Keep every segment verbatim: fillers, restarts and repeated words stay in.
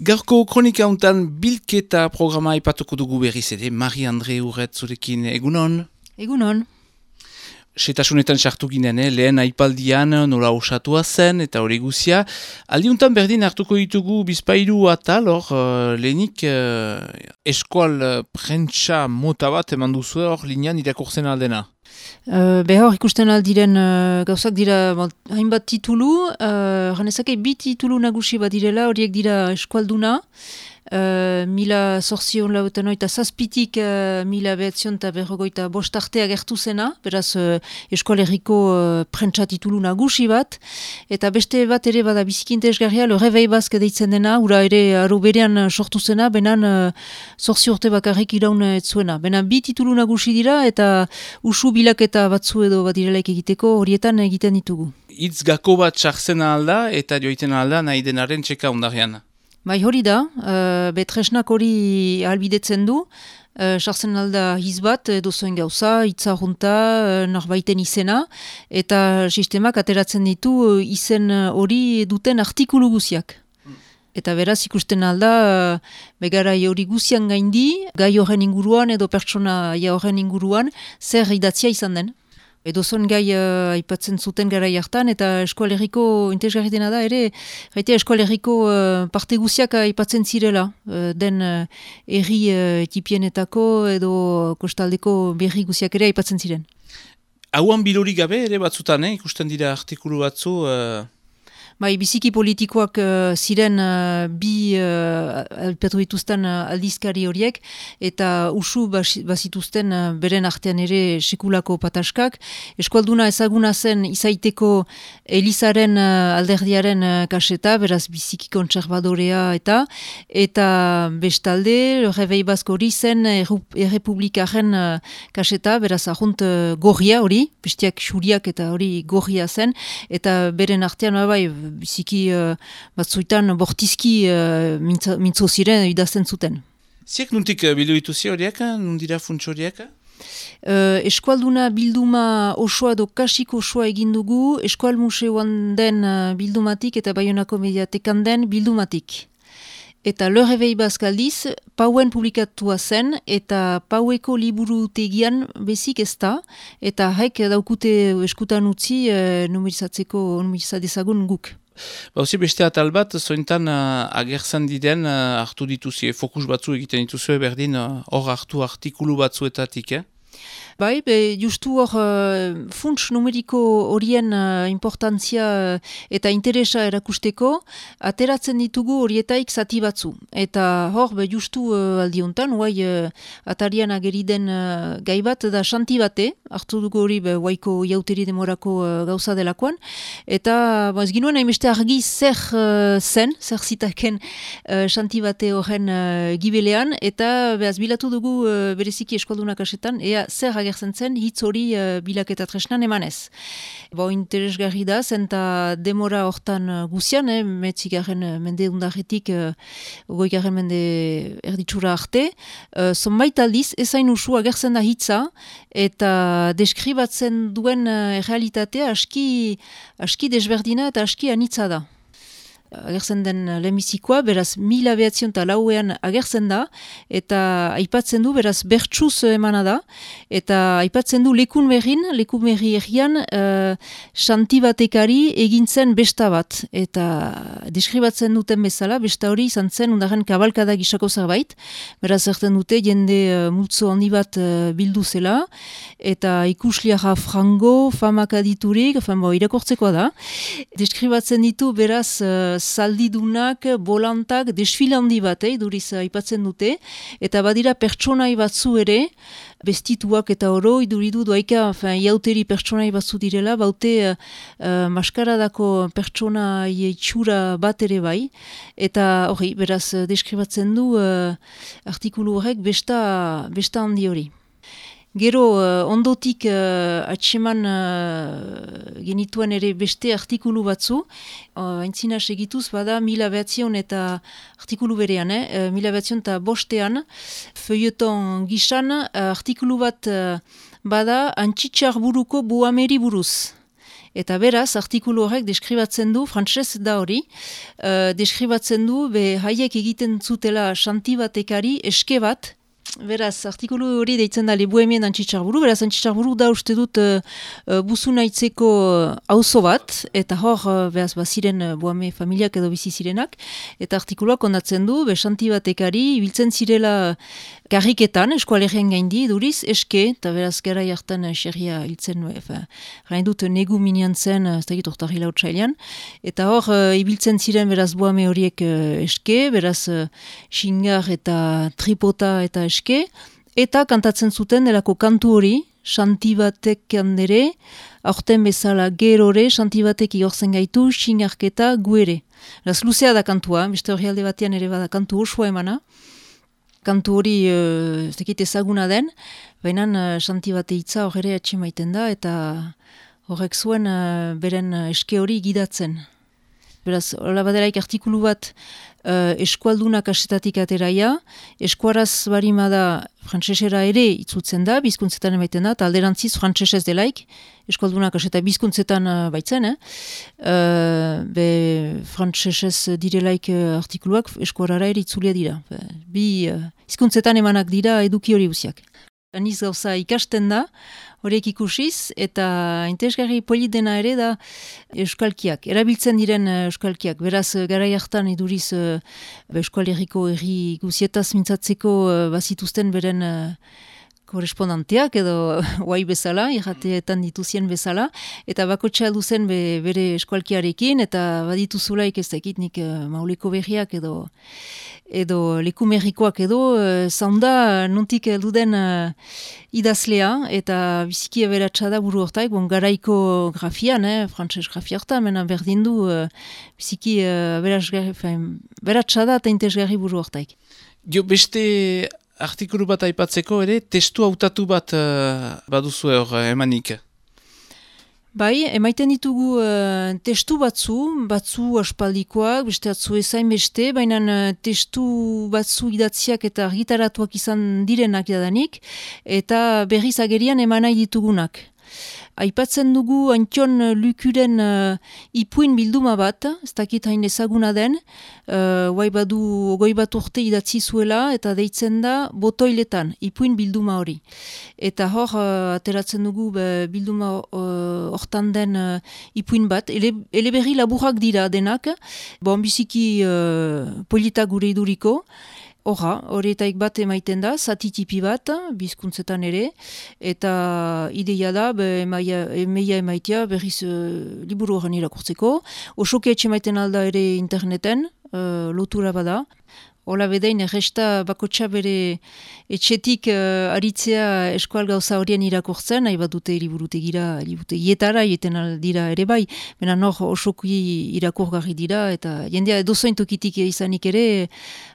Gaurko kronika untan bilketa programa ipatuko dugu berriz ere, Marie-Andre Urret zurekin egunon. Egunon. Setasunetan sartu ginen, eh? Lehen aipaldian nola osatua zen eta hori guzia. Aldiuntan berdin hartuko ditugu bizpairu atal, hor uh, lehenik uh, eskual uh, prentsa mota bat eman duzu hor linean irakurtzen aldena. Uh, Behar ikusten aldiren uh, gauzak dira bon, hainbat titulu, uh, ganezake bi titulu nagusi bat direla, horiek dira eskualduna, uh, mila zorzion lauetan oita zazpitik uh, mila behatzion eta berrogoita bostartea gertu zena, beraz uh, eskualerriko uh, prentsa titulu nagusi bat, eta beste bat ere bada biziki interesgarria, le Réveil Basque deitzen dena, ura ere aro berean sortu zena, benan uh, zorzi urte bakarrik iraun ez zuena. Benan bi titulu nagusi dira, eta usu bilaketa batzu edo bat direlaik egiteko horietan egiten ditugu. Itz gako bat sartzen alda eta joiten alda nahi denaren txeka ondarian. Bai hori da, uh, betresnak hori ahalbidetzen du, uh, sartzen alda hiz bat edo zoen gauza, hitza junta, uh, norbaiten izena, eta sistemak ateratzen ditu uh, izen hori duten artikulu guziak. Eta beraz ikusten alda, uh, begarai hori guzian gaindi, gai horren inguruan edo pertsona horren inguruan, zer idatzia izan den. Edo zon gai uh, aipatzen zuten garai hartan, eta eskualerriko interesgarri dena da, ere, gaita eskualerriko uh, parte guziak aipatzen zirela, uh, den uh, erri uh, etipienetako edo kostaldeko berri guziak ere aipatzen ziren. Hauan bilori gabe ere batzutan, eh? Ikusten dira artikulu batzu... Uh... Bai, biziki politikoak uh, ziren uh, bi uh, alpatu dituzten uh, aldizkari horiek, eta usu bas, bazituzten uh, beren artean ere sekulako pataskak. Eskualduna ezaguna zen izaiteko Elizaren uh, alderdiaren uh, kaseta, beraz biziki kontserbadorea eta, eta bestalde, Réveil Basque hori zen errepublikaren uh, kaseta, beraz ahunt uh, gorria hori, bestiak xuriak eta hori gorria zen, eta beren artean bai, biziki uh, batzuetan bortizki uh, mintzo, mintzo ziren idazten zuten. Ziek nuntik uh, bildu dituzi horiek, nundira funts horiek? Uh, eskualduna bilduma osoa edo kasik osoa egin dugu, eskual museoan den uh, bildumatik eta Baionako mediatekan den bildumatik. Eta Le Réveil Basque aldiz, pauen publikatua zen, eta paueko liburutegian bezik ez da, eta haik daukute eskutan utzi e, numerizatzeko numerizadezagun guk. Bauzi beste atal bat, zointan uh, agertzen diren uh, hartu dituzie, fokus batzu egiten dituzue berdin, hor uh, hartu artikulu batzuetatik, eh? Bai, be, justu hor uh, funts numeriko horien uh, importantzia uh, eta interesa erakusteko, ateratzen ditugu horietaik zati batzu. Eta hor, be, justu uh, aldiontan, huai uh, atarian ageriden uh, gai bat da xanti bate, hartu dugu hori be, huaiko jauteri demorako uh, gauza delakoan, eta ba, ez ginuen hainbeste argi zer uh, zen, zer zitaken uh, xanti bate horren uh, gibelean, eta behaz bilatu dugu uh, bereziki eskualdunak asetan, ea zer agertzen zen hitz hori uh, bilaketa tresnan emanez. Bo interesgarri da, zenta demora hortan uh, guzian, eh, metzigaren uh, mende undarretik, uh, goigaren mende erditsura arte, uh, zonbait aldiz, ezain usu agertzen da hitza, eta deskribatzen duen uh, realitatea aski, aski desberdina eta aski anitza da. Agertzen den lehenbizikoa, beraz mila behatzion eta lauean agertzen da, eta aipatzen du, beraz bertsuz emana da, eta aipatzen du lekun berrin, lekun berri errian, uh, xantibatekari egintzen besta bat, eta deskribatzen duten bezala, besta hori izan zen undaren kabalkada gisako zerbait, beraz erten dute jende uh, multzo handi bat uh, bildu zela, eta ikusliara frango, famak aditurik, enfin, bo, irakortzekoa da, deskribatzen ditu beraz uh, zaldidunak, bolantak, desfile handi bat, eh, duriz aipatzen dute, eta badira pertsonai batzu ere, bestituak eta oro, iduridu doaika, iauteri pertsonai batzu direla, baute uh, maskaradako pertsona itxura bat ere bai, eta hori, beraz, deskribatzen du uh, artikulu horrek besta, besta handi hori. Gero, uh, ondotik uh, atseman uh, genituen ere beste artikulu batzu, uh, aintzina segituz bada mila behatzion eta artikulu berean, eh? uh, mila behatzion eta bostean, feuilleton gisan uh, artikulu bat uh, bada antxitxar buruko buameri buruz. Eta beraz, artikulu horrek deskribatzen du, frantses da hori, uh, deskribatzen du, be haiek egiten zutela Xantibatekari eske bat. Beraz, artikulu hori deitzen da Lebuemien Antxitsarburu, beraz Antxitsarburu da uste dut uh, uh, buzu naitzeko auzo bat, eta hor, uh, beraz, baziren uh, Boame familiak edo bizi zirenak, eta artikuluak ondatzen du, be Xantibatekari ibiltzen zirela karriketan, eskualerien gaindi, duriz, eske, eta beraz, gara jartan uh, xerria hiltzen, efa, gain dut negu minian zen, ez dakit ortarri lautsailean, eta hor, uh, ibiltzen ziren, beraz, Boame horiek uh, eske, beraz, uh, xingar eta tripota eta eske, eta kantatzen zuten delako kantu hori, Xantibatek handere, aurten bezala gerore, Xantibatek igortzen gaitu, xingarketa guere. Beraz, luzea da kantua, beste hori alde batean ere bada kantu osoa emana, kantu hori uh, ez dakit ezaguna den, baina uh, Xantibate hitza hor ere atxe maiten da, eta horrek zuen uh, beren uh, eske hori gidatzen. Beraz, hola baderaik artikulu bat uh, eskualdunak asetatik ateraia, eskuaraz barimada frantsesera ere itzutzen da, bizkuntzetan emaiten da, eta alderantziz frantsesez delaik, eskualdunak aseta bizkuntzetan uh, baitzen, eh? uh, be frantsesez direlaik uh, artikuluak eskuarara ere itzulia dira. Be, bi uh, hizkuntzetan emanak dira eduki hori guziak. Aniz gauza ikasten da, horiek ikusiz, eta interesgarri polit dena ere da euskalkiak, erabiltzen diren euskalkiak. Beraz, garai hartan iduriz Euskal Herriko herri guzietaz mintzatzeko bazituzten beren korespondanteak edo guai bezala, irrateetan dituzien bezala, eta bakotxa duzen be, bere eskualkiarekin, eta badituzulaik ez dakit nik mauleko berriak edo edo lekumerrikoak edo uh, zaunda nuntik heldu den uh, idazlea, eta biziki aberatsa da buru hortaik, bon, garaiko grafian, eh, frantses grafia horta, mena berdin du uh, biziki uh, aberatsa da eta interesgarri buru hortaik. Jo, beste artikulu bat aipatzeko ere, testu hautatu bat uh, baduzu hor emanik. Bai, emaiten ditugu uh, testu batzu, batzu aspaldikoak, beste atzu ezain beste, baina uh, testu batzu idatziak eta argitaratuak izan direnak jadanik, eta berriz agerian emanai ditugunak. Aipatzen dugu Antion Lukuren uh, ipuin bilduma bat, ez dakit hain ezaguna den, uh, guai badu ogoi bat urte idatzi zuela, eta deitzen da botoiletan, ipuin bilduma hori. Eta hor, uh, ateratzen dugu be, bilduma uh, hortan den uh, ipuin bat, ele, eleberri laburrak dira denak, bon biziki uh, polita gure iduriko, Horra, horietaik bat emaiten da, zatitipi bat, bizkuntzetan ere, eta ideia da, be, emaia, emaia emaitia berriz uh, liburu horren irakurtzeko. Osoke etxe maiten alda ere interneten, uh, lotura bada. Hola bedain, erresta bakotxa bere etxetik uh, aritzea eskual gauza horien irakurtzen, nahi bat dute liburutegira, liburutegietara, jeten dira ere bai, mena nor osoki irakurgarri dira, eta jendea dozoin tokitik izanik ere,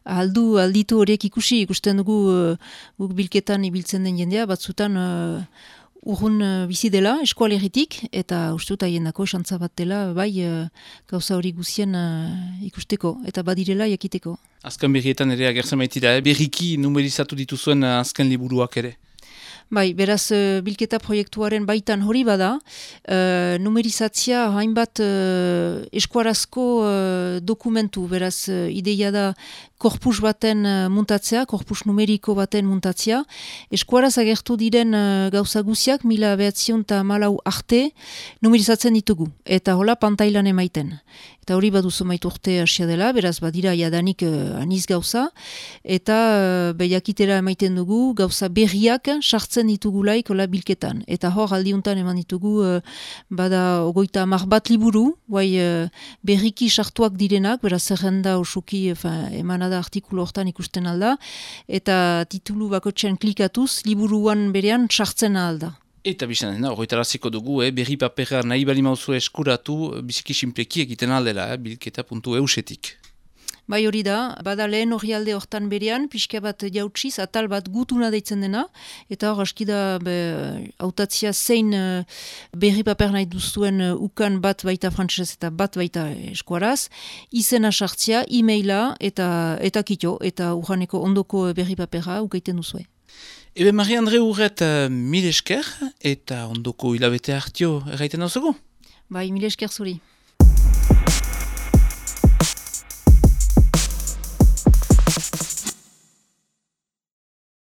aldu, alditu horiek ikusi, ikusten dugu uh, guk bilketan ibiltzen den jendea, batzutan uh, urrun uh, bizi dela, eskualerritik, eta uste dut haiendako xantza bat dela, bai uh, gauza hori guzien uh, ikusteko, eta badirela jakiteko. Azken berrietan ere agertzen baitira, eh? Berriki numerizatu dituzuen uh, azken liburuak ere. Bai, beraz, uh, bilketa proiektuaren baitan hori bada, uh, numerizatzia hainbat uh, eskuarazko uh, dokumentu, beraz, uh, ideia da korpus baten uh, muntatzea, korpus numeriko baten muntatzea, eskuaraz agertu diren uh, gauza guziak, mila behatzion eta malau arte, numerizatzen ditugu, eta hola pantailan emaiten. Eta hori baduzu maitu urte asia dela, beraz badira jadanik uh, aniz gauza, eta uh, behiakitera emaiten dugu gauza berriak sartzen ditugulaik hola bilketan. Eta hor aldiuntan eman ditugu uh, bada ogoita mar bat liburu, guai uh, berriki sartuak direnak, beraz zerrenda osoki emanada artikulu hortan ikusten alda, eta titulu bakotxean klikatuz, liburuan berean sartzen alda. Eta bizan dena, horretaraziko dugu, eh, berri papera nahi bali mauzu eskuratu, biziki sinpleki egiten aldela, eh, bilketa puntu eusetik. Bai hori da, bada lehen hori alde hortan berean, pixka bat jautsiz, atal bat gutuna deitzen dena, eta hor aski da hautatzia zein uh, berri paper nahi duzuen uh, ukan bat baita frantsesez eta bat baita eskuaraz, izena sartzia, e-maila eta, eta kito, eta urraneko ondoko berri papera ukaiten duzue. Ebe Marie-Andre Urret uh, mil esker eta ondoko hilabete hartio erraiten dauzugu? Bai, mile esker zuri.